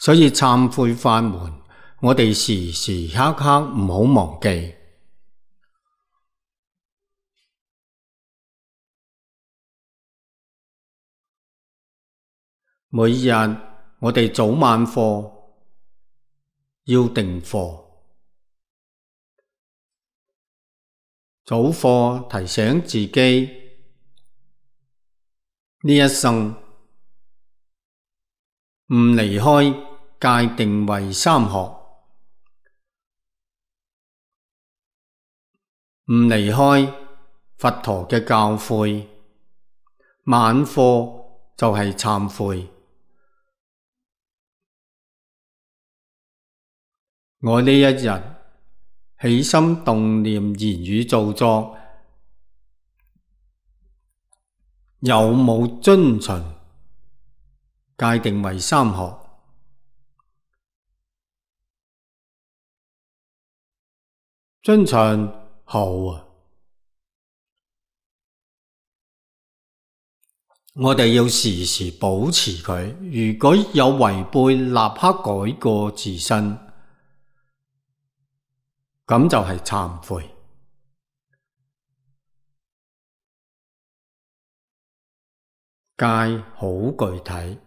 所以懺悔法門，我哋時時刻刻唔好忘記。每日我哋早晚課要定課，早課提醒自己呢一生唔離開戒定慧三學，唔離開佛陀嘅教誨。晚課就係懺悔。我呢一日起心動念、言語造作，有冇遵循戒定慧三學？遵循好啊！我哋要時時保持佢，如果有違背，立刻改過自新。咁就係懺悔。戒好具體，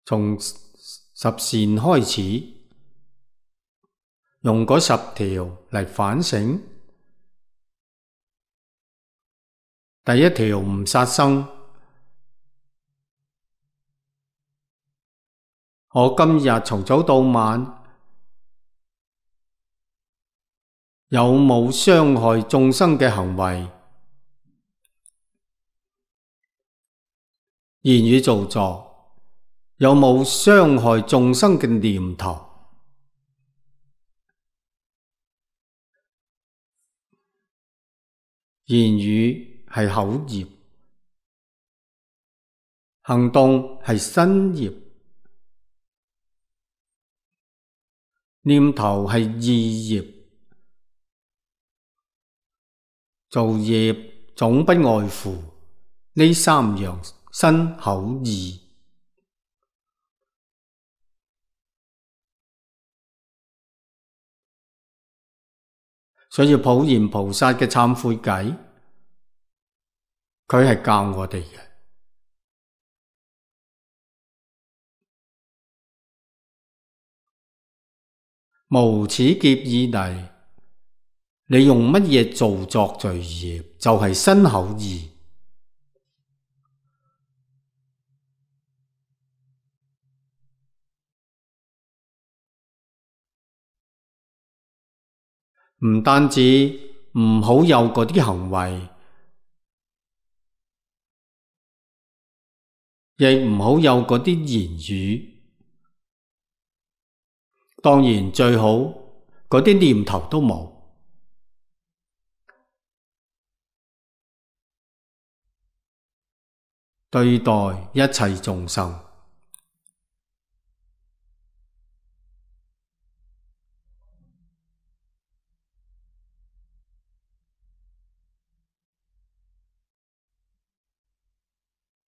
從十善開始，用嗰10條嚟反省。第一條唔殺生。我今日從早到晚有冇傷害眾生嘅行為？言語造作有冇傷害眾生嘅念頭？言語係口業，行動係身業，念頭係意業。造業總不外乎呢3樣：身、口、意。所以普賢菩薩嘅懺悔偈，佢係教我哋嘅。無始劫以嚟，你用乜嘢造作罪業，就係身口意。唔單止唔好有嗰啲行為，亦唔好有嗰啲言語。當然最好嗰啲念頭都冇。對待一切眾生，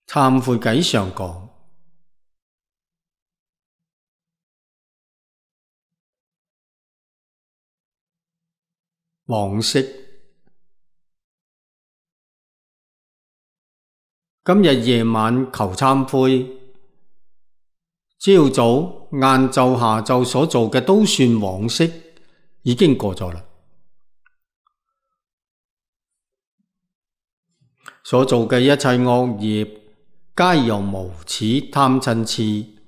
懺悔偈上講，往昔今日夜晚求懺悔，朝早、晏晝、下晝所做嘅都算往昔，已經過咗啦。所做嘅一切惡業，皆由無始貪嗔癡，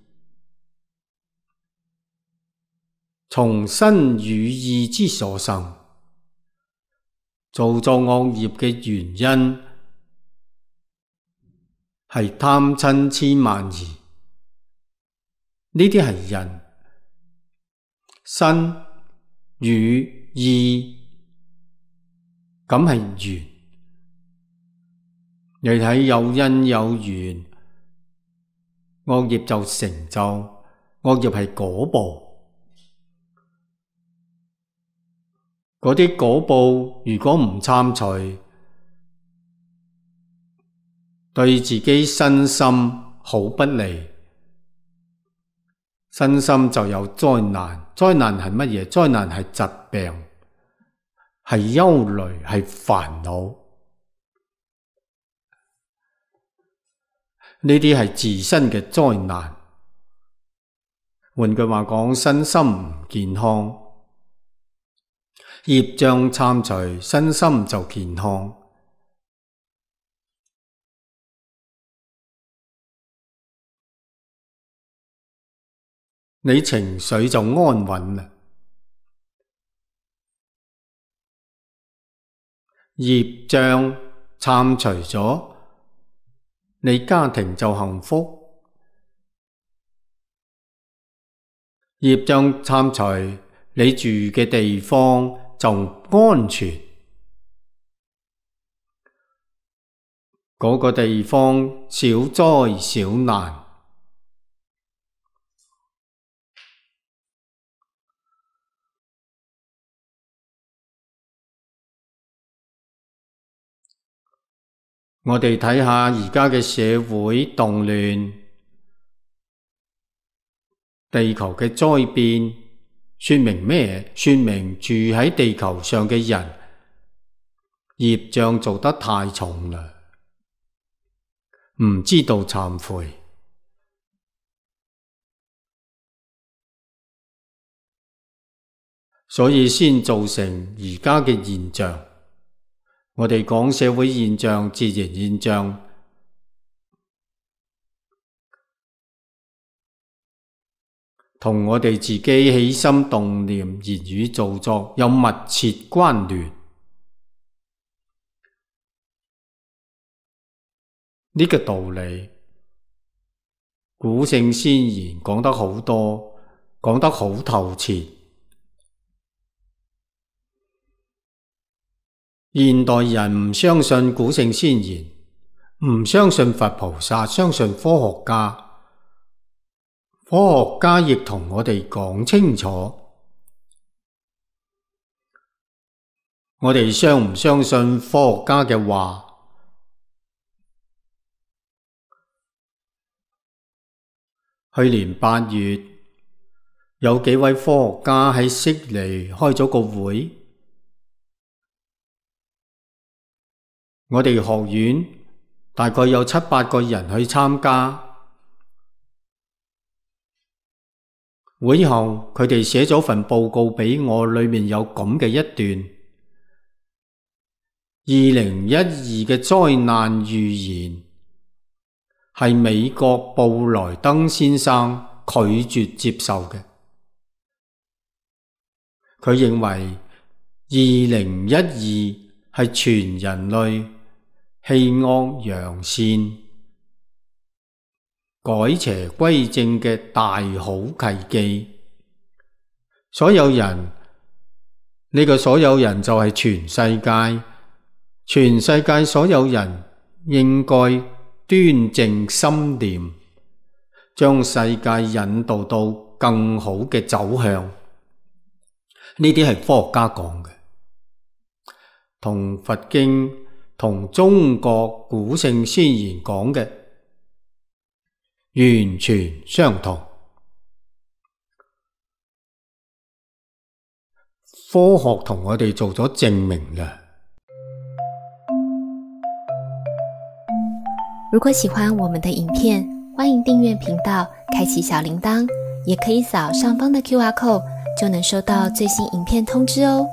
從身語意之所生。造作惡業嘅原因係貪嗔癡慢疑，呢啲係因。身語意咁係緣。你睇有因有緣，惡業就成就，惡業係果報。嗰啲果報如果唔懺除，對自己身心好不利。身心就有災難，災難係乜嘢？災難係疾病，係憂慮，係煩惱。呢啲係自身嘅災難。換句話講，身心唔健康，業障懺除，身心就健康。你情緒就安穩啦。業障懺除咗，你家庭就幸福。業障懺除，你住嘅地方就安全。嗰個地方少災少難。我哋睇下而家嘅社會動亂，地球嘅災變，說明咩？說明住喺地球上嘅人，業障做得太重啦，唔知道懺悔，所以先造成而家嘅現象。我哋講社會現象、自然現象，同我哋自己起心動念、言語造作有密切關聯。呢個道理，古聖先賢講得好多，講得好透徹。現代人唔相信古聖先賢，唔相信佛菩薩，相信科學家。科學家亦同我哋講清楚，我哋相唔相信科學家嘅話？去年8月，有幾位科學家喺悉尼開咗個會。我哋學院大概有7-8個人去參加，會後佢哋寫咗份報告俾我，裏面有咁嘅一段：2012嘅災難預言係美國布萊登先生拒絕接受嘅。佢認為2012係全人類棄惡揚善、改邪歸正嘅大好契機。所有人，呢個所有人就係全世界，全世界所有人應該端正心念，將世界引導到更好嘅走向。呢啲係科學家講嘅，同佛經同中國古聖先賢講嘅完全相同。科學同我哋做咗證明啦。如果喜歡我們的影片，歡迎訂閱頻道，開啟小鈴鐺，也可以掃上方的QR code，就能收到最新影片通知哦。